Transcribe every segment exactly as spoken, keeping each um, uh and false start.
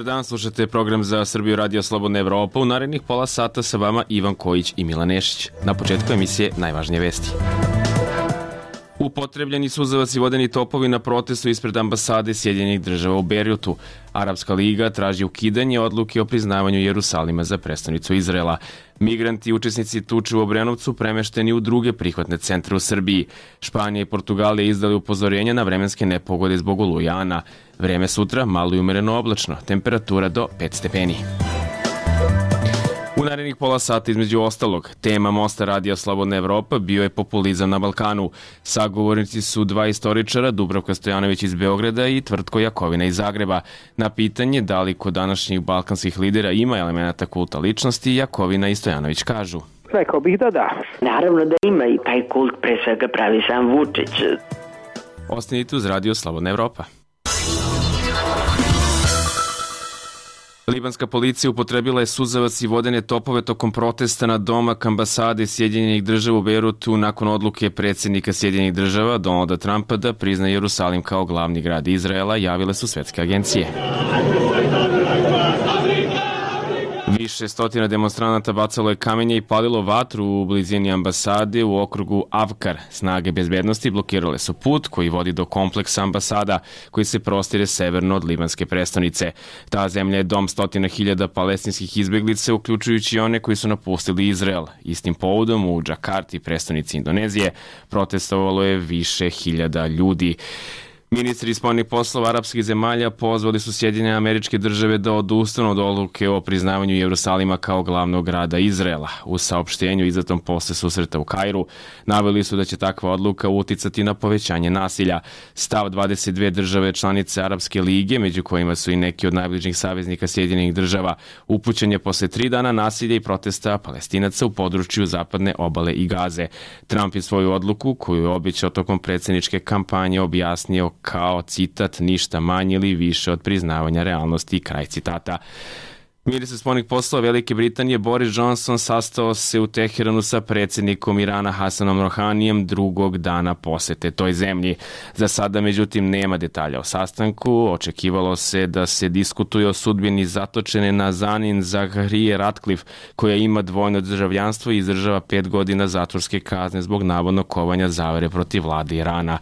dan, slušate program za Srbiju Radio Slobodna Evropa. U narednih pola sata sa vama Ivan Kojić i Milan Nešić. Na početku emisije najvažnije vesti. Upotrebljeni suzavac i vodeni topovi na protestu ispred ambasade Sjedinjenih država u Bejrutu. Arapska liga traži ukidanje odluke o priznavanju Jerusalima za prestonicu Izraela. Migranti i učesnici tuče u Obrenovcu premešteni u druge prihvatne centre u Srbiji. Španija i Portugalija izdali upozorenja na vremenske nepogode zbog olujana. Vreme sutra malo i umereno oblačno, temperatura do pet stepeni. U narednih pola sata između ostalog, tema Mosta Radija Slobodna Evropa bio je populizam na Balkanu. Sagovornici su dva istoričara, Dubravka Stojanović iz Beograda i Tvrtko Jakovina iz Zagreba. Na pitanje da li kod današnjih balkanskih lidera ima elemenata kulta ličnosti, Jakovina i Stojanović kažu. Rekao bih da da. Naravno da ima i taj kult pre svega pravi sam Vučić. Ostanite uz Radio Slobodna Evropa. Libanska policija upotrebila je suzavac i vodene topove tokom protesta na domak ambasade Sjedinjenih država u Bejrutu nakon odluke predsjednika Sjedinjenih država Donalda Trumpa da prizna Jerusalim kao glavni grad Izraela, javile su svetske agencije. Više stotina demonstranata bacalo je kamenje i palilo vatru u blizini ambasade u okrugu Avkar. Snage bezbednosti blokirale su put koji vodi do kompleksa ambasada koji se prostire severno od libanske prestonice. Ta zemlja je dom stotina hiljada palestinskih izbeglica, uključujući one koji su napustili Izrael. Istim povodom u Džakarti, prestonici Indonezije, protestovalo je više hiljada ljudi. Ministri spoljnih poslova arapskih zemalja pozvali su Sjedinjene Američke Države da odustanu od odluke o priznavanju Jerusalima kao glavnog grada Izraela. U saopštenju izdatom posle susreta u Kairu naveli su da će takva odluka uticati na povećanje nasilja. Stav dvadeset dve države članice Arapske lige, među kojima su i neki od najbližnjih saveznika Sjedinjenih država, upućen je posle tri dana nasilja i protesta Palestinaca u području zapadne obale i Gaze. Trump je svoju odluku, koju je obećao tokom predsjedničke kampanje, objasnio kao, citat, ništa manje ili više od priznavanja realnosti, kraj citata. Ministar spoljnih poslova Velike Britanije Boris Johnson sastao se u Teheranu sa predsjednikom Irana Hasanom Rohanijem drugog dana posete toj zemlji. Za sada, međutim, nema detalja o sastanku. Očekivalo se da se diskutuje o sudbini zatočene Nazanin Zaghrie Ratcliffe, koja ima dvojno državljanstvo i izdržava pet godina zatvorske kazne zbog navodnog kovanja zavere protiv vlade Irana.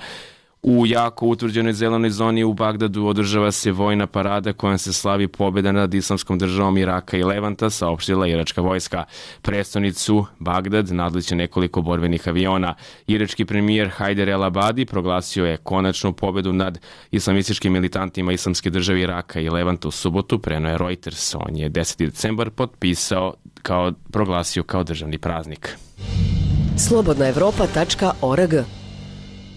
U jako utvrđenoj zelenoj zoni u Bagdadu održava se vojna parada kojom se slavi pobjeda nad islamskom državom Iraka i Levanta, saopštila iračka vojska. Prestonicu Bagdad nadliče nekoliko borbenih aviona. Irački premijer Hajder El Abadi proglasio je konačnu pobjedu nad islamističkim militantima islamske države Iraka i Levanta u subotu, preneo je Reuters. On je deseti decembar potpisao kao, proglasio kao državni praznik. slobodna evropa tačka org.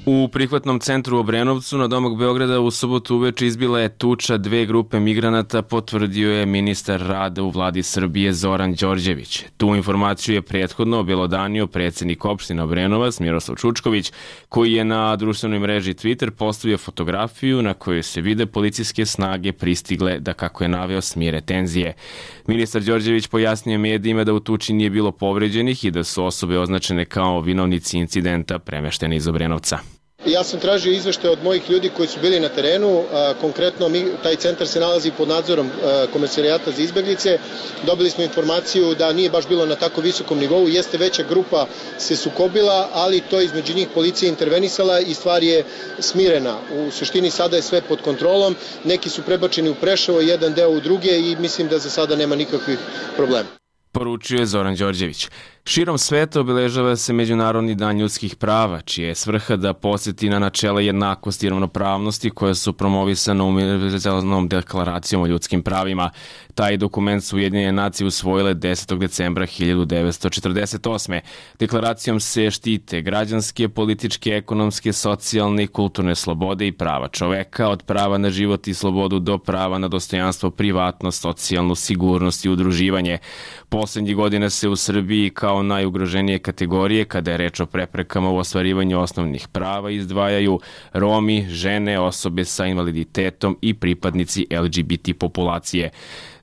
U prihvatnom centru u Obrenovcu na domak Beograda u subotu uveče izbila je tuča dve grupe migranata, potvrdio je ministar rada u vladi Srbije Zoran Đorđević. Tu informaciju je prethodno obelodanio predsjednik opštine Obrenovac Miroslav Čučković, koji je na društvenoj mreži Twitter postavio fotografiju na kojoj se vide policijske snage pristigle da, kako je naveo, smire tenzije. Ministar Đorđević pojasnio medijima da u tuči nije bilo povređenih i da su osobe označene kao vinovnici incidenta premeštene iz Obrenovca. Ja sam tražio izveštaje od mojih ljudi koji su bili na terenu, konkretno mi, taj centar se nalazi pod nadzorom Komesarijata za izbeglice. Dobili smo informaciju da nije baš bilo na tako visokom nivou, jeste veća grupa se sukobila, ali to između njih policija intervenisala i stvar je smirena. U suštini sada je sve pod kontrolom, neki su prebačeni u Preševo, jedan deo u druge i mislim da za sada nema nikakvih problema. Poručio je Zoran Đorđević. Širom sveta obeležava se Međunarodni dan ljudskih prava, čija je svrha da podsjeti na načela jednakosti i ravnopravnosti koja su promovisana Univerzalnom deklaracijom o ljudskim pravima. Taj dokument su Ujedinjene nacije usvojile desetog decembra hiljadu devetsto četrdeset osme. Deklaracijom se štite građanske, političke, ekonomske, socijalne i kulturne slobode i prava čoveka, od prava na život i slobodu do prava na dostojanstvo, privatnost, socijalnu sigurnost i udruživanje. Poslednjih godina se u Srbiji kao najugroženije kategorije, kada je reč o preprekama u ostvarivanju osnovnih prava, izdvajaju Romi, žene, osobe sa invaliditetom i pripadnici L G B T populacije.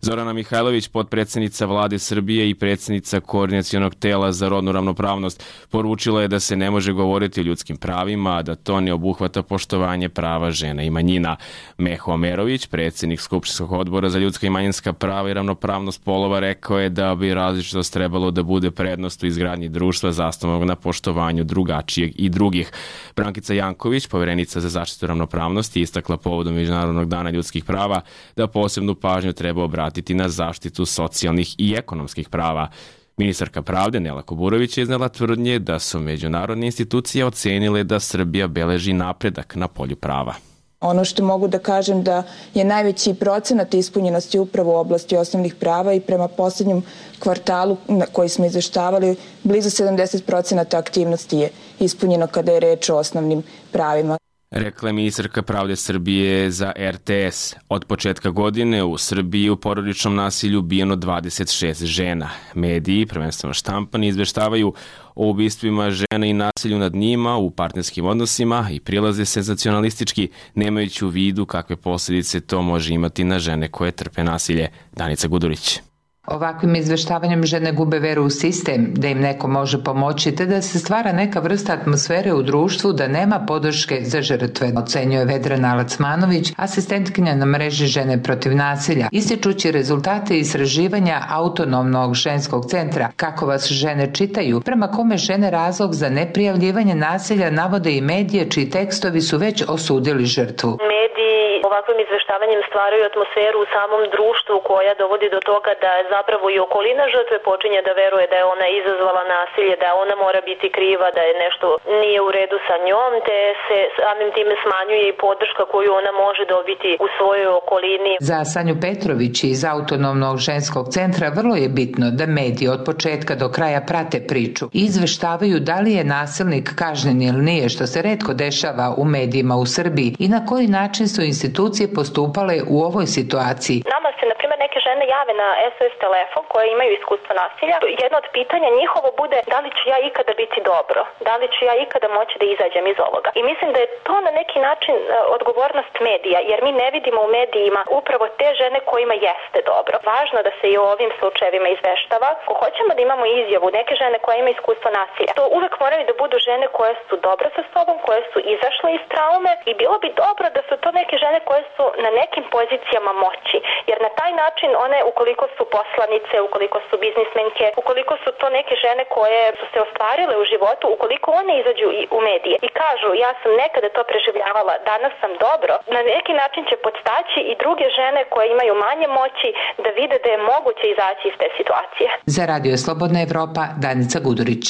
Zorana Mihajlović, potpredsednica Vlade Srbije i predsednica Koordinacionog tela za rodnu ravnopravnost, poručila je da se ne može govoriti o ljudskim pravima, a da to ne obuhvata poštovanje prava žena i manjina. Meho Omerović, predsednik Skupštinskog odbora za ljudska i manjinska prava i ravnopravnost polova, rekao je da bi različitost trebalo da bude prednost u izgradnji društva zasnovanog na poštovanju drugačijeg i drugih. Brankica Janković, poverenica za zaštitu ravnopravnosti, istakla povodom Međunarodnog dana ljudskih prava da posebnu pažnju treba obratiti na zaštitu socijalnih i ekonomskih prava. Ministarka pravde Nela Kuburović je iznela tvrdnje da su međunarodne institucije ocenile da Srbija beleži napredak na polju prava. Ono što mogu da kažem da je najveći procenat ispunjenosti upravo u oblasti osnovnih prava i prema poslednjem kvartalu na koji smo izveštavali, blizu sedamdeset procenata aktivnosti je ispunjeno kada je reč o osnovnim pravima. Rekla je ministarka pravde Srbije za R T S. Od početka godine u Srbiji u porodičnom nasilju ubijeno dvadeset šest žena. Mediji, prvenstveno štampani, izveštavaju o ubistvima žena i nasilju nad njima u partnerskim odnosima i prilaze senzacionalistički, nemajući u vidu kakve posljedice to može imati na žene koje trpe nasilje. Danica Gudurić. Ovakvim izveštavanjem žene gube veru u sistem, da im neko može pomoći, te da se stvara neka vrsta atmosfere u društvu da nema podrške za žrtve, ocenjuje Vedrana Alacmanović, asistentkinja na mreži Žene protiv nasilja, ističući rezultate istraživanja Autonomnog ženskog centra Kako vas žene čitaju, prema kome žene razlog za neprijavljivanje nasilja navode i medije čiji tekstovi su već osudili žrtvu. Mediji ovakvim izveštavanjem stvaraju atmosferu u samom društvu koja dovodi do toga da zapravo i okolina žrtve počinje da veruje da je ona izazvala nasilje, da ona mora biti kriva, da je nešto nije u redu sa njom, te se samim time smanjuje i podrška koju ona može dobiti u svojoj okolini. Za Sanju Petrović iz Autonomnog ženskog centra vrlo je bitno da mediji od početka do kraja prate priču i izveštavaju da li je nasilnik kažnjen ili nije, što se retko dešava u medijima u Srbiji, i na koji način su institucije postupale u ovoj situaciji. Nama se, na primjer, neke žene jave na S O S telefon koje imaju iskustvo nasilja. Jedno od pitanja njihovo bude da li ću ja ikada biti dobro, da li ću ja ikada moći da izađem iz ovoga. I mislim da je to na neki način odgovornost medija, jer mi ne vidimo u medijima upravo te žene kojima jeste dobro. Važno da se i o ovim slučajevima izveštava. Ako hoćemo da imamo izjavu neke žene koje imaju iskustvo nasilja, to uvek moraju da budu žene koje su dobre sa sobom, koje su izašle iz traume, i bilo bi dobro da su to neke žene koje su na nekim pozicijama moći, jer na taj način one, ukoliko su poslanice, ukoliko su biznismenke, ukoliko su to neke žene koje su se ostvarile u životu, ukoliko one izađu i u medije i kažu ja sam nekada to preživljavala, danas sam dobro, na neki način će podstaći i druge žene koje imaju manje moći da vide da je moguće izaći iz te situacije. Za Radio Slobodna Evropa, Danica Gudurić.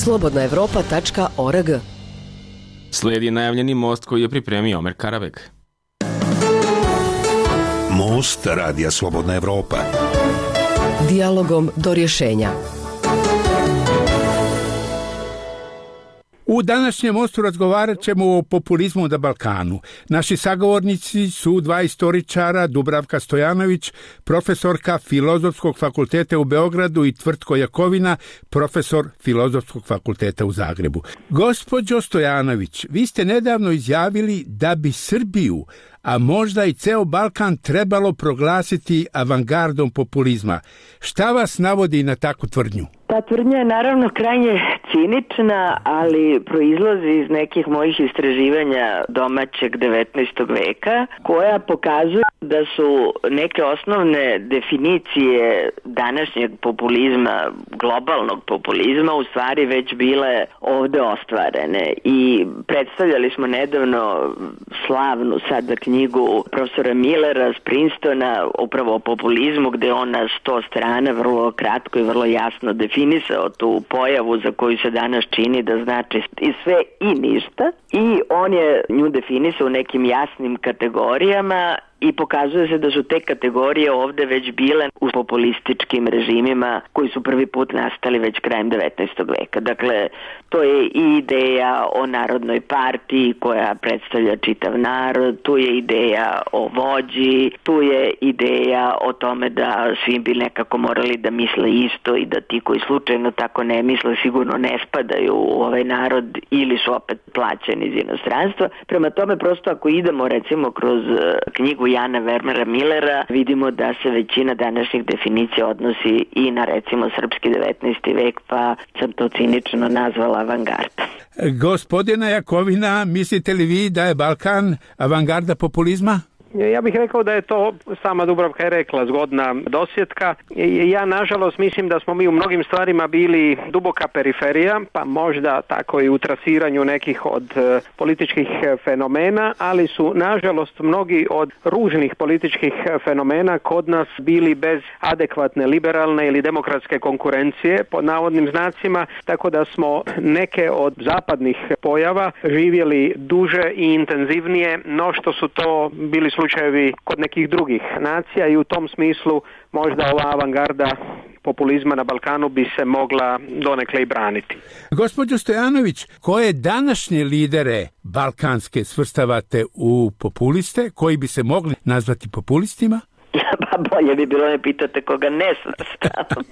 slobodna evropa tačka org. Slijedi najavljeni most koji je pripremio Omer Karabeg. Most Radija Slobodna Evropa. Dijalogom do rješenja. U današnjem mostu razgovarat ćemo o populizmu na Balkanu. Naši sagovornici su dva istoričara, Dubravka Stojanović, profesorka Filozofskog fakulteta u Beogradu, i Tvrtko Jakovina, profesor Filozofskog fakulteta u Zagrebu. Gospođo Stojanović, vi ste nedavno izjavili da bi Srbiju, a možda i ceo Balkan, trebalo proglasiti avangardom populizma. Šta vas navodi na takvu tvrdnju? Ta tvrdnja je naravno krajnje cinična, ali proizlazi iz nekih mojih istraživanja domaćeg devetnaestog veka, koja pokazuju da su neke osnovne definicije današnjeg populizma, globalnog populizma, u stvari već bile ovde ostvarene. I predstavljali smo nedavno slavnu sada knjigu profesora Millera s Princetona, upravo o populizmu, gde on na sto strana vrlo kratko i vrlo jasno definisao tu pojavu za koju se danas čini da znači i sve i ništa, i on je nju definisao u nekim jasnim kategorijama i pokazuje se da su te kategorije ovde već bile u populističkim režimima koji su prvi put nastali već krajem devetnaestog veka. Dakle, to je i ideja o narodnoj partiji koja predstavlja čitav narod, tu je ideja o vođi, tu je ideja o tome da svi bi nekako morali da misle isto i da ti koji slučajno tako ne misle sigurno ne spadaju u ovaj narod ili su opet plaćeni iz inostranstva. Prema tome, prosto ako idemo recimo kroz knjigu Jana Vermera Millera, vidimo da se većina današnjih definicija odnosi i na recimo srpski devetnaesti vek, pa sam to cinično nazvala avangarda. Gospodina Jakovina, mislite li vi da je Balkan avangarda populizma? Ja bih rekao da je to, sama Dubravka je rekla, zgodna dosjetka. Ja nažalost mislim da smo mi u mnogim stvarima bili duboka periferija, pa možda tako i u trasiranju nekih od političkih fenomena, ali su nažalost mnogi od ružnih političkih fenomena kod nas bili bez adekvatne liberalne ili demokratske konkurencije, pod navodnim znacima, tako da smo neke od zapadnih pojava živjeli duže i intenzivnije no što su to bili slučajevi kod nekih drugih nacija i u tom smislu možda ova avangarda populizma na Balkanu bi se mogla donekle i braniti. Gospođo Stojanović, koje današnje lidere balkanske svrstavate u populiste, koji bi se mogli nazvati populistima? Pa bolje bi bilo ne pitate koga ne svrstavam.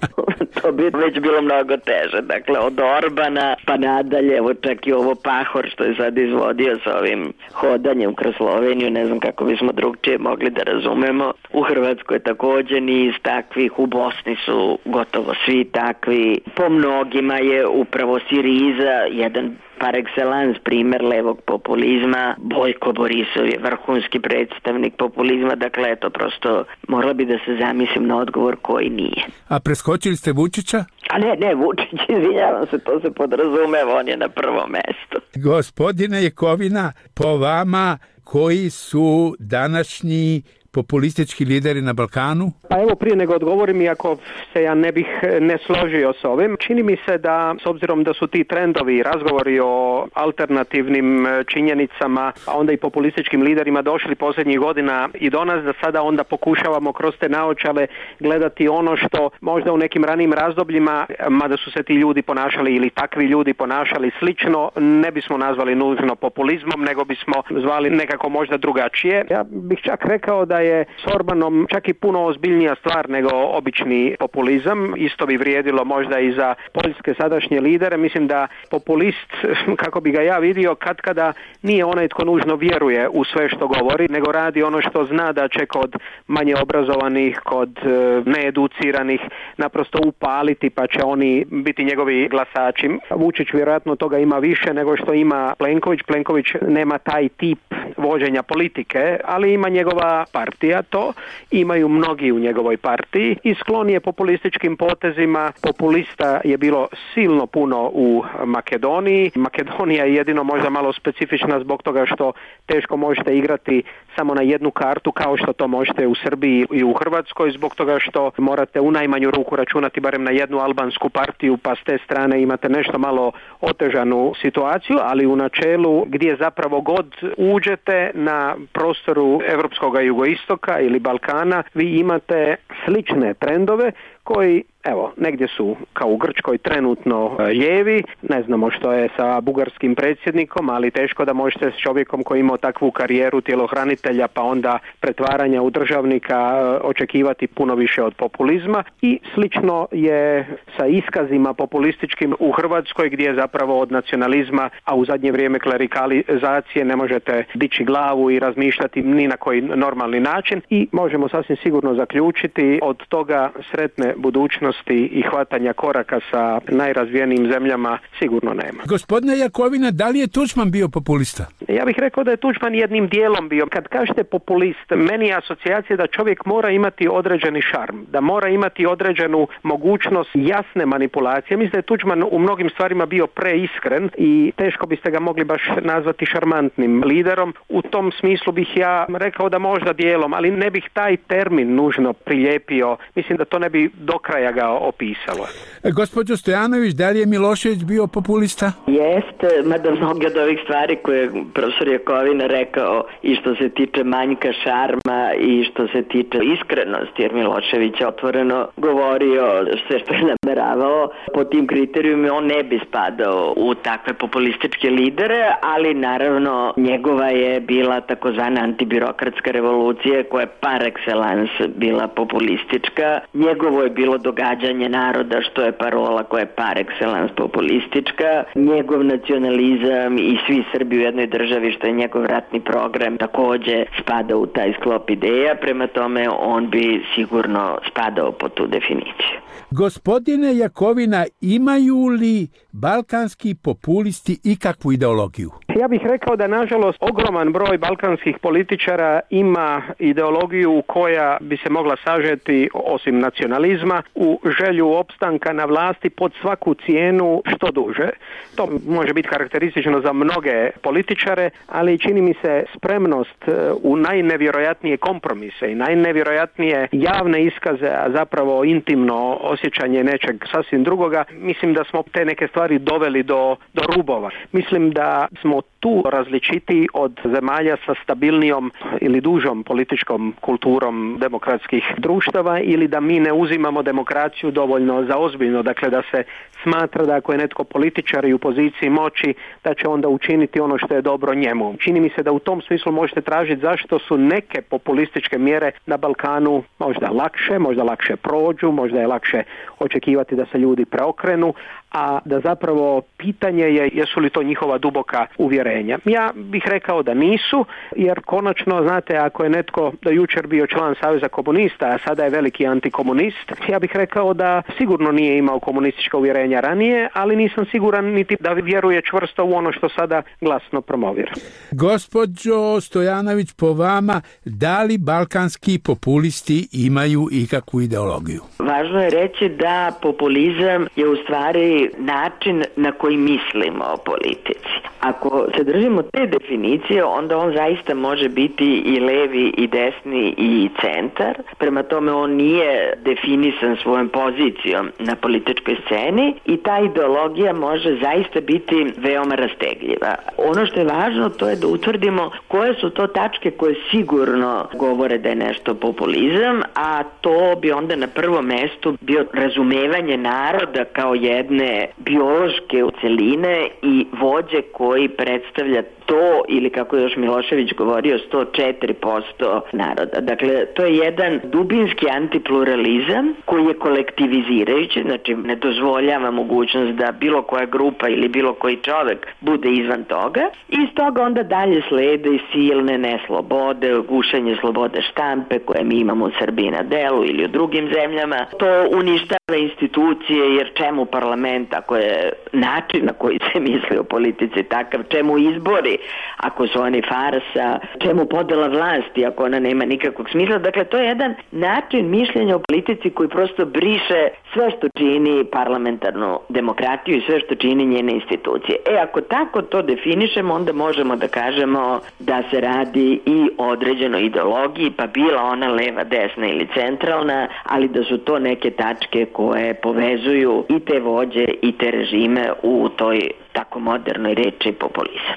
To bi već bilo mnogo teže. Dakle, od Orbana pa nadalje, evo čak i ovo Pahor što je sad izvodio sa ovim hodanjem kroz Sloveniju, ne znam kako bismo drugčije mogli da razumemo. U Hrvatskoj je također niz takvih, u Bosni su gotovo svi takvi. Po mnogima je upravo Siriza jedan par excellence primjer levog populizma. Bojko Borisov je vrhunski predstavnik populizma, dakle eto prosto morala bi da se zamislim na odgovor koji nije. A preskočili ste Vučića? A ne, ne, Vučić, izvinjavam se, to se podrazumeva, on je na prvom mestu. Gospodine Jakovina, po vama koji su današnji populistički lideri na Balkanu? Pa evo prije nego odgovorim, iako se ja ne bih ne složio s ovim, čini mi se da s obzirom da su ti trendovi, razgovori o alternativnim činjenicama, a onda i populističkim liderima došli posljednjih godina i do nas, da sada onda pokušavamo kroz te naočale gledati ono što možda u nekim ranijim razdobljima, mada su se ti ljudi ponašali ili takvi ljudi ponašali slično, ne bismo nazvali nužno populizmom, nego bismo zvali nekako možda drugačije. Ja bih čak rekao da je s Orbanom čak i puno ozbiljnija stvar nego obični populizam. Isto bi vrijedilo možda i za poljske sadašnje lidere. Mislim da populist, kako bi ga ja vidio, katkada nije onaj tko nužno vjeruje u sve što govori, nego radi ono što zna da će kod manje obrazovanih, kod needuciranih naprosto upaliti, pa će oni biti njegovi glasači. Vučić vjerojatno toga ima više nego što ima Plenković. Plenković nema taj tip vođenja politike, ali ima njegova partija to, imaju mnogi u njegovoj partiji i sklon je populističkim potezima. Populista je bilo silno puno u Makedoniji. Makedonija je jedino možda malo specifična zbog toga što teško možete igrati samo na jednu kartu kao što to možete u Srbiji i u Hrvatskoj, zbog toga što morate u najmanju ruku računati barem na jednu albansku partiju, pa s te strane imate nešto malo otežanu situaciju, ali u načelu gdje zapravo god uđete na prostoru evropskog jugoistoka ili Balkana, vi imate slične trendove koji, evo, negdje su kao u Grčkoj trenutno lijevi, ne znamo što je sa bugarskim predsjednikom, ali teško da možete s čovjekom koji imao takvu karijeru tjelohranitelja pa onda pretvaranja u državnika očekivati puno više od populizma i slično je sa iskazima populističkim u Hrvatskoj gdje zapravo od nacionalizma, a u zadnje vrijeme klerikalizacije ne možete dići glavu i razmišljati ni na koji normalni način i možemo sasvim sigurno zaključiti od toga sretne budućnosti i hvatanja koraka sa najrazvijenijim zemljama sigurno nema. Gospodine Jakovina, da li je Tuđman bio populista? Ja bih rekao da je Tuđman jednim dijelom bio. Kad kažete populist, meni je asocijacija da čovjek mora imati određeni šarm, da mora imati određenu mogućnost jasne manipulacije. Mislim da je Tuđman u mnogim stvarima bio preiskren i teško biste ga mogli baš nazvati šarmantnim liderom. U tom smislu bih ja rekao da možda dijelom, ali ne bih taj termin nužno prilijepio. Mislim da to ne bi do kraja ga opisalo. Gospođo Stojanović, da li je Milošević bio populista? Jeste, mada mnogi od ovih stvari koje je profesor Jakovina rekao i što se tiče manjka šarma i što se tiče iskrenosti, jer Milošević je otvoreno govorio sve što je nameravao, po tim kriterijumima on ne bi spadao u takve populističke lidere, ali naravno njegova je bila takozvana antibirokratska revolucija koja je par excellence bila populistička. Njegovo je bilo događanje naroda, što je parola koja je par excellence populistička. Njegov nacionalizam i svi Srbi u jednoj državi, što je njegov ratni program, takođe spada u taj sklop ideja, prema tome on bi sigurno spadao po tu definiciju. Gospodine Jakovina, imaju li balkanski populisti ikakvu ideologiju? Ja bih rekao da, nažalost, ogroman broj balkanskih političara ima ideologiju koja bi se mogla sažeti, osim nacionalizma, u želju opstanka na vlasti pod svaku cijenu što duže. To može biti karakteristično za mnoge političare, ali čini mi se spremnost u najnevjerojatnije kompromise i najnevjerojatnije javne iskaze, a zapravo intimno osjećanje nečeg sasvim drugoga. Mislim da smo te neke stvari doveli do, do rubova. Mislim da smo tu različiti od zemalja sa stabilnijom ili dužom političkom kulturom demokratskih društava, ili da mi ne uzimamo demokraciju dovoljno za ozbiljno, dakle da se smatra da ako je netko političar i u poziciji moći, da će onda učiniti ono što je dobro njemu. Čini mi se da u tom smislu možete tražiti zašto su neke populističke mjere na Balkanu možda lakše, možda lakše prođu, možda je lakše očekivati da se ljudi preokrenu, a da zapravo pitanje je jesu li to njihova duboka uvjerenja. Ja bih rekao da nisu, jer konačno, znate, ako je netko do jučer bio član Saveza komunista, a sada je veliki antikomunist, ja bih rekao da sigurno nije imao komunistička uvjerenja ranije, ali nisam siguran niti da vjeruje čvrsto u ono što sada glasno promovira. Gospođo Stojanović, po vama, da li balkanski populisti imaju ikakvu ideologiju? Važno je reći da populizam je u stvari način na koji mislimo o politici. Ako se držimo te definicije, onda on zaista može biti i levi, i desni, i centar. Prema tome on nije definisan svojom pozicijom na političkoj sceni i ta ideologija može zaista biti veoma rastegljiva. Ono što je važno, to je da utvrdimo koje su to tačke koje sigurno govore da je nešto populizam, a to bi onda na prvom mestu bio razumevanje naroda kao jedne biološke celine i vođe koji predstavlja to, ili kako je još Milošević govorio, sto četiri posto naroda. Dakle, to je jedan dubinski antipluralizam koji je kolektivizirajući, znači ne dozvoljava mogućnost da bilo koja grupa ili bilo koji čovek bude izvan toga. I iz toga onda dalje slede i silne neslobode, gušenje slobode štampe koje mi imamo u Srbiji na delu ili u drugim zemljama. To uništava institucije, jer čemu parlament ako je način na koji se misli o politici takav, čemu izbori ako su oni farsa, čemu podela vlasti ako ona nema nikakvog smisla. Dakle, to je jedan način mišljenja o politici koji prosto briše sve što čini parlamentarnu demokratiju i sve što čini njene institucije. E, ako tako to definišemo, onda možemo da kažemo da se radi i o određenoj ideologiji, pa bila ona leva, desna ili centralna, ali da su to neke tačke koje povezuju i te vođe i te režime u toj tako modernoj reči populizam.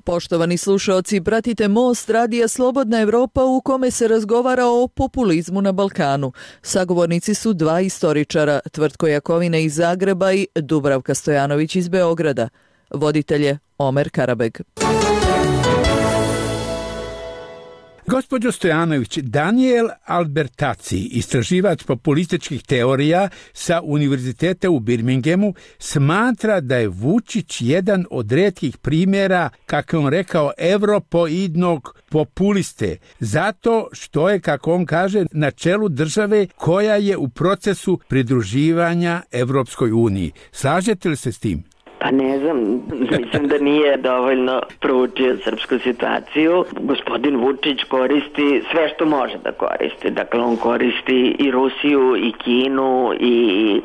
Poštovani slušaoci, pratite Most radija Slobodna Evropa u kome se razgovara o populizmu na Balkanu. Sagovornici su dva istoričara, Tvrtko Jakovina iz Zagreba i Dubravka Stojanović iz Beograda. Voditelj je Omer Karabeg. Gospođo Stojanović, Daniel Albertazzi, istraživač populističkih teorija sa Univerziteta u Birminghamu, smatra da je Vučić jedan od retkih primjera, kako on rekao, evropoidnog populiste, zato što je, kako on kaže, na čelu države koja je u procesu pridruživanja Evropskoj uniji. Slažete li se s tim? Pa ne znam, mislim da nije dovoljno proučio srpsku situaciju. Gospodin Vučić koristi sve što može da koristi. Dakle, on koristi i Rusiju, i Kinu, i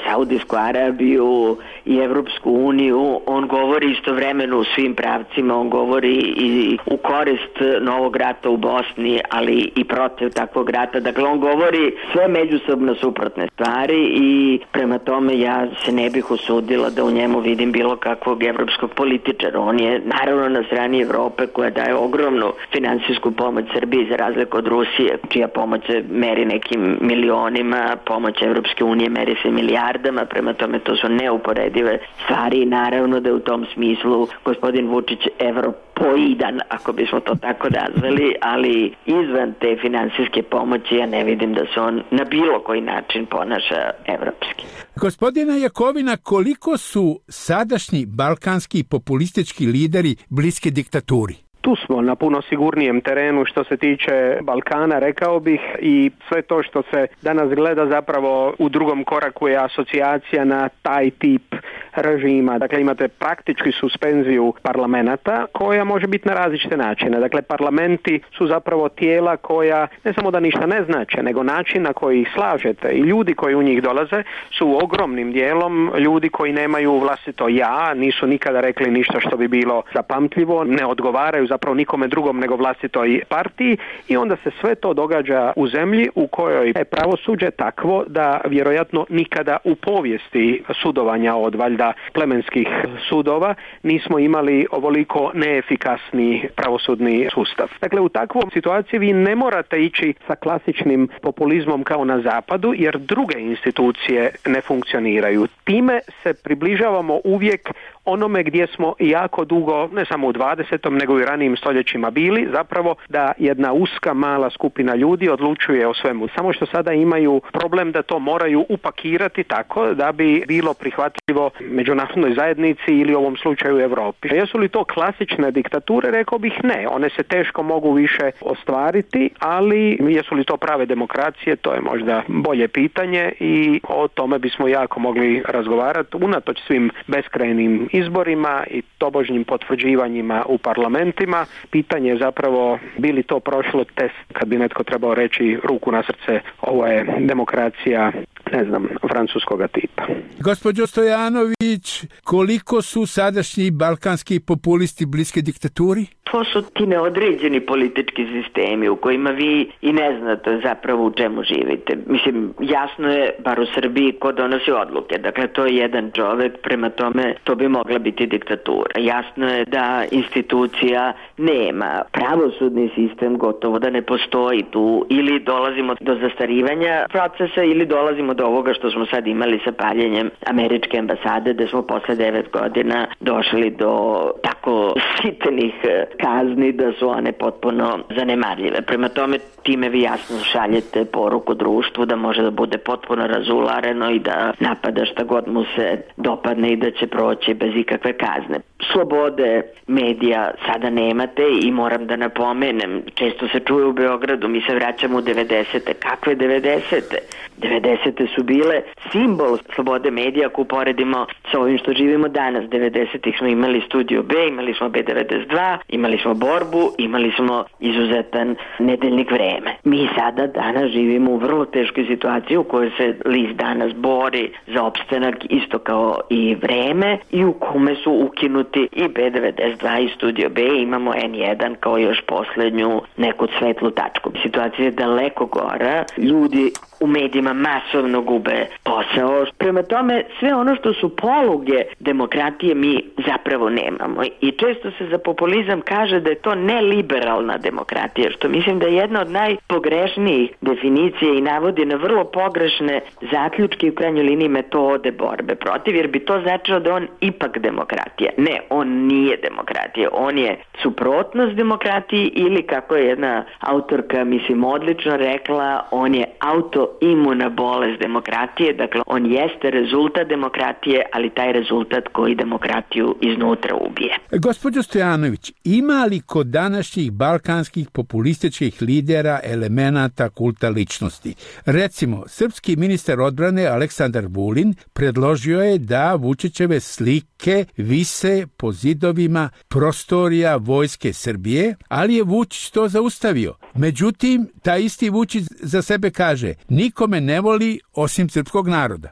Saudijsku Arabiju, i Evropsku uniju. On govori istovremeno u svim pravcima, on govori i u korist novog rata u Bosni, ali i protiv takvog rata. Dakle, on govori sve međusobno suprotne stvari i prema tome ja se ne bih usudila da u njemu vidim bilo kakvog evropskog političara. On je naravno na strani Evrope koja daje ogromnu finansijsku pomoć Srbiji za razliku od Rusije, čija pomoć se meri nekim milionima, pomoć Evropske unije meri se milijardama, prema tome to su neuporedive stvari i naravno da je u tom smislu gospodin Vučić Evropa poidan, ako bismo to tako nazvali, ali izvan te finansijske pomoći ja ne vidim da se on na bilo koji način ponaša evropski. Gospodina Jakovina, koliko su sadašnji balkanski populistički lideri bliski diktaturi? Tu smo na puno sigurnijem terenu što se tiče Balkana, rekao bih, i sve to što se danas gleda zapravo u drugom koraku je asocijacija na taj tip režima. Dakle, imate praktički suspenziju parlamenta koja može biti na različite načine. Dakle, parlamenti su zapravo tijela koja ne samo da ništa ne znače, nego način na koji ih slažete i ljudi koji u njih dolaze su ogromnim dijelom ljudi koji nemaju vlastito ja, nisu nikada rekli ništa što bi bilo zapamtljivo, ne odgovaraju zapravo nikome drugom nego vlastitoj partiji i onda se sve to događa u zemlji u kojoj je pravosuđe takvo da vjerojatno nikada u povijesti sudovanja od valjda plemenskih sudova nismo imali ovoliko neefikasni pravosudni sustav. Dakle, u takvom situaciji vi ne morate ići sa klasičnim populizmom kao na zapadu jer druge institucije ne funkcioniraju. Time se približavamo uvijek onome gdje smo jako dugo, ne samo u dvadesetom nego i ranijim stoljećima bili, zapravo da jedna uska mala skupina ljudi odlučuje o svemu. Samo što sada imaju problem da to moraju upakirati tako da bi bilo prihvatljivo međunarodnoj zajednici ili u ovom slučaju Europi. Jesu li to klasične diktature? Rekao bih ne. One se teško mogu više ostvariti, ali jesu li to prave demokracije? To je možda bolje pitanje i o tome bismo jako mogli razgovarati unatoč svim beskrajnim izborima i tobožnjim potvrđivanjima u parlamentima. Pitanje je zapravo bi li to prošlo test kad bi netko trebao reći ruku na srce, ovo je demokracija, ne znam, francuskoga tipa. Gospođo Stojanović, koliko su sadašnji balkanski populisti bliske diktaturi? To su ti neodređeni politički sistemi u kojima vi i ne znate zapravo u čemu živite. Mislim, jasno je, bar u Srbiji, ko donosi odluke. Dakle, to je jedan čovek, prema tome to bi mogla biti diktatura. Jasno je da institucija nema. Pravosudni sistem gotovo da ne postoji tu. Ili dolazimo do zastarivanja procesa ili dolazimo do ovoga što smo sad imali sa paljenjem američke ambasade, da smo posle devet godina došli do tako sitenih kazni da su one potpuno zanemarljive. Prema tome, time vi jasno šaljete poruku društvu da može da bude potpuno razulareno i da napada šta god mu se dopadne i da će proći bez ikakve kazne. Slobode medija sada nemate i moram da napomenem, često se čuje u Beogradu, mi se vraćamo u devedesete. Kakve devedesete? devedesete su bile simbol slobode medija ako uporedimo sa ovim što živimo danas. devedesetih smo imali Studio B, imali smo B devedeset dva, imali smo Borbu, imali smo izuzetan nedeljnik Vreme. Mi sada danas živimo u vrlo teškoj situaciji u kojoj se list danas bori za opstanak isto kao i Vreme i u kome su ukinuti i B devedeset dva i Studio B, imamo N jedan kao još poslednju neku svetlu tačku. Situacija je daleko gora, ljudi u medijima masovno gube posao. Prema tome, sve ono što su poluge demokratije mi zapravo nemamo. I često se za populizam kaže da je to neliberalna demokratija, što mislim da je jedna od najpogrešnijih definicija i navodi na vrlo pogrešne zaključke i u krajnjoj liniji metode borbe protiv, jer bi to značilo da on ipak demokratija. Ne, on nije demokratija. On je suprotnost demokratiji ili, kako je jedna autorka, mislim, odlično rekla, on je autoimuna bolest demokratije. Dakle, on jeste rezultat demokratije, ali taj rezultat koji demokratiju iznutra ubije. Gospođo Stojanović, ima li kod današnjih balkanskih populističkih lidera elemenata kulta ličnosti? Recimo, srpski ministar odbrane Aleksandar Vulin predložio je da Vučićeve slike vise po zidovima prostorija Vojske Srbije, ali je Vučić to zaustavio. Međutim, taj isti Vučić za sebe kaže, nikome ne voli osim srpskog naroda.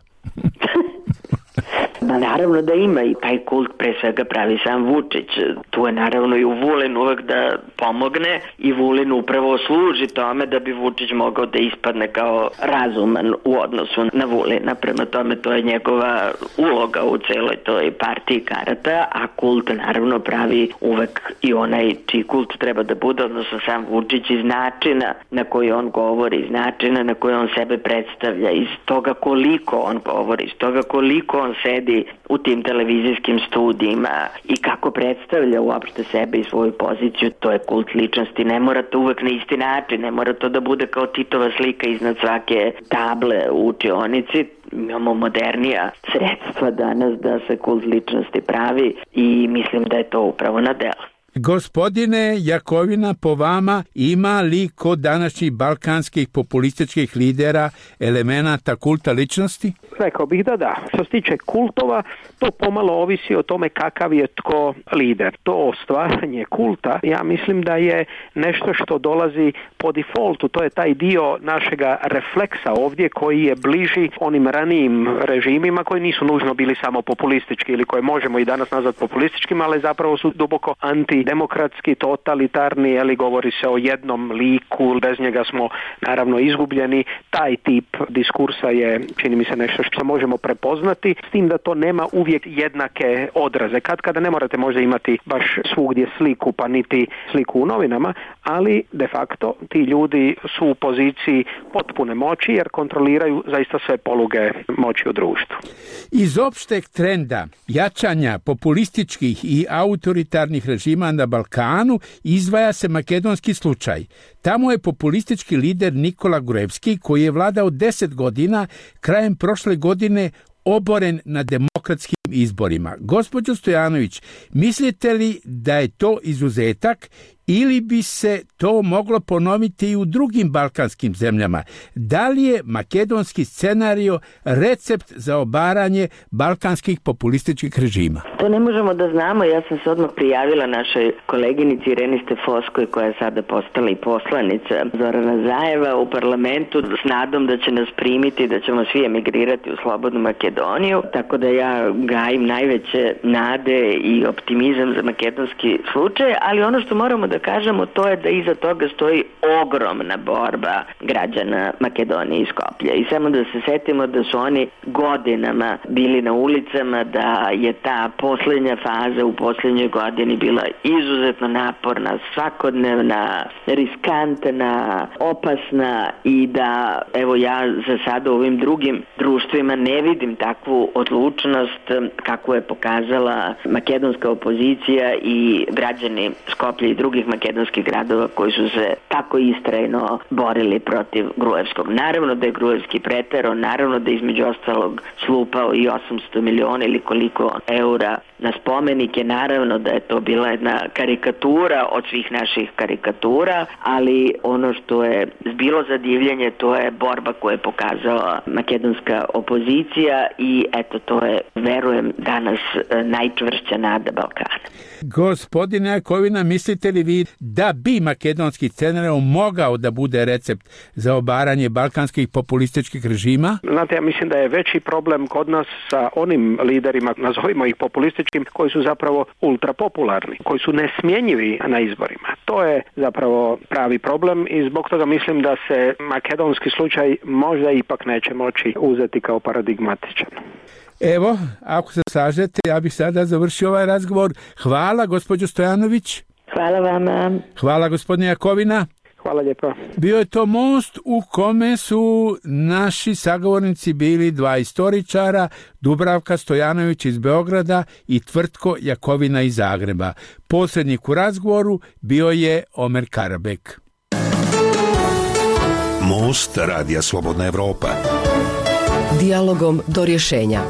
Naravno da ima i taj kult pre svega pravi sam Vučić. Tu je naravno i u Vulin uvek da pomogne i Vulin upravo služi tome da bi Vučić mogao da ispadne kao razuman u odnosu na Vulina. Prema tome to je njegova uloga u celoj toj partiji karata, a kult naravno pravi uvek i onaj čiji kult treba da bude, odnosno sam Vučić, iz načina na koji on govori, iz načina na koji on sebe predstavlja, iz toga koliko on govori, iz toga koliko on sedi izlazi u tim televizijskim studijima i kako predstavlja uopšte sebe i svoju poziciju, to je kult ličnosti. Ne mora to uvek na isti način, ne mora to da bude kao Titova slika iznad svake table u učionici. Imamo modernija sredstva danas da se kult ličnosti pravi i mislim da je to upravo na delu. Gospodine Jakovina, po vama ima li kod današnjih balkanskih populističkih lidera elemenata kulta ličnosti? Rekao bih da da. Što se tiče kultova, to pomalo ovisi o tome kakav je tko lider. To stvaranje kulta, ja mislim da je nešto što dolazi po defaultu. To je taj dio našega refleksa ovdje koji je bliži onim ranijim režimima koji nisu nužno bili samo populistički ili koje možemo i danas nazvati populističkim, ali zapravo su duboko antidemokratski, totalitarni, ali govori se o jednom liku, bez njega smo naravno izgubljeni. Taj tip diskursa je, čini mi se, nešto što možemo prepoznati, s tim da to nema uvijek jednake odraze. Kad kada ne morate možda imati baš svugdje sliku, pa niti sliku u novinama, ali de facto ti ljudi su u poziciji potpune moći jer kontroliraju zaista sve poluge moći u društvu. Iz opšteg trenda jačanja populističkih i autoritarnih režima na Balkanu izdvaja se makedonski slučaj. Tamo je populistički lider Nikola Gruevski, koji je vladao deset godina, krajem prošle godine oboren na demokratskim izborima. Gospođo Stojanović, mislite li da je to izuzetak ili bi se to moglo ponoviti i u drugim balkanskim zemljama? Da li je makedonski scenario recept za obaranje balkanskih populističkih režima? To ne možemo da znamo. Ja sam se odmah prijavila našoj koleginici Ireni Stefoskoj, koja je sada postala i poslanica Zorana Zajeva u parlamentu, s nadom da će nas primiti, da ćemo svi emigrirati u slobodnu Makedoniju. Tako da ja gajim najveće nade i optimizam za makedonski slučaj, ali ono što moramo da kažemo, to je da iza toga stoji ogromna borba građana Makedonije i Skoplja. I samo da se setimo da su oni godinama bili na ulicama, da je ta posljednja faza u posljednjoj godini bila izuzetno naporna, svakodnevna, riskantna, opasna i da, evo ja za sada u ovim drugim društvima ne vidim takvu odlučnost kakvu je pokazala makedonska opozicija i građani Skoplja i drugih makedonskih gradova koji su se tako istrajno borili protiv Gruevskog. Naravno da je Gruevski preterao, naravno da je između ostalog slupao i osamsto miliona ili koliko eura na spomenike, naravno da je to bila jedna karikatura od svih naših karikatura, ali ono što je bilo za divljenje, to je borba koju je pokazala makedonska opozicija i eto to je, verujem, danas najčvršća nada Balkana. Gospodine Jakovina, mislite li vi da bi makedonski scenario mogao da bude recept za obaranje balkanskih populističkih režima? Znate, ja mislim da je veći problem kod nas sa onim liderima, nazovimo ih populističkim, koji su zapravo ultrapopularni, koji su nesmjenjivi na izborima. To je zapravo pravi problem i zbog toga mislim da se makedonski slučaj možda ipak neće moći uzeti kao paradigmatičan. Evo, ako se slažete, ja bih sada završio ovaj razgovor. Hvala, gospođo Stojanović. Hvala vama. Hvala, gospodine Jakovina. Hvala lijepo. Bio je to most u kome su naši sagovornici bili dva istoričara, Dubravka Stojanović iz Beograda i Tvrtko Jakovina iz Zagreba. Posrednik u razgovoru bio je Omer Karabek. Most Radija Slobodna Evropa. Dijalogom do rješenja.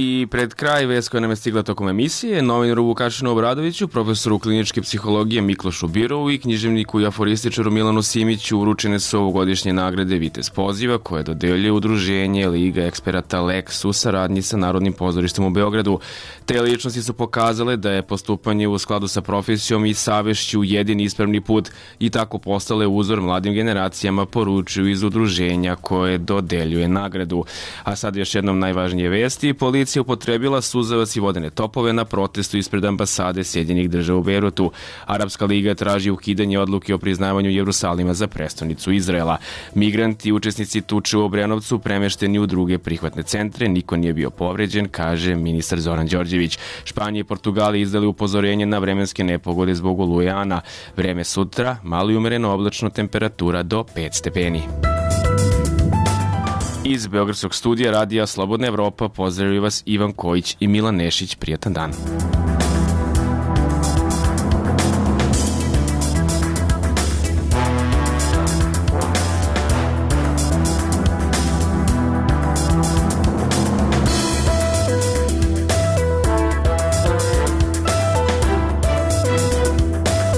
I pred kraj vest koja nam je stigla tokom emisije, novinaru Vukašinu Obradoviću, profesoru kliničke psihologije Miklošu Birovu i književniku i aforističaru Milanu Simiću uručene su ovogodišnje nagrade Vitez poziva koje dodeljuje udruženje Liga eksperata Lex u saradnji sa Narodnim pozorištem u Beogradu. Te ličnosti su pokazale da je postupanje u skladu sa profesijom i savešću jedini ispravni put i tako postale uzor mladim generacijama, poručuju iz udruženja koje dodeljuje nagradu. A sad još jednom najvažnije vesti. Policija upotrebila suzavac i vodene topove na protestu ispred ambasade Sjedinjenih država u Bejrutu. Arapska liga traži ukidanje odluke o priznavanju Jerusalima za prestonicu Izraela. Migranti i učesnici tuče u Obrenovcu premešteni u druge prihvatne centre. Niko nije bio povređen, kaže ministar Zoran Đorđević. Španija i Portugal izdali upozorenje na vremenske nepogode zbog oluje Ana. Vreme sutra, malo i umereno oblačno, temperatura do pet stepeni. Iz Beogradskog studija radija Slobodna Evropa pozdravljaju vas Ivan Kojić i Milan Nešić. Prijatan dan.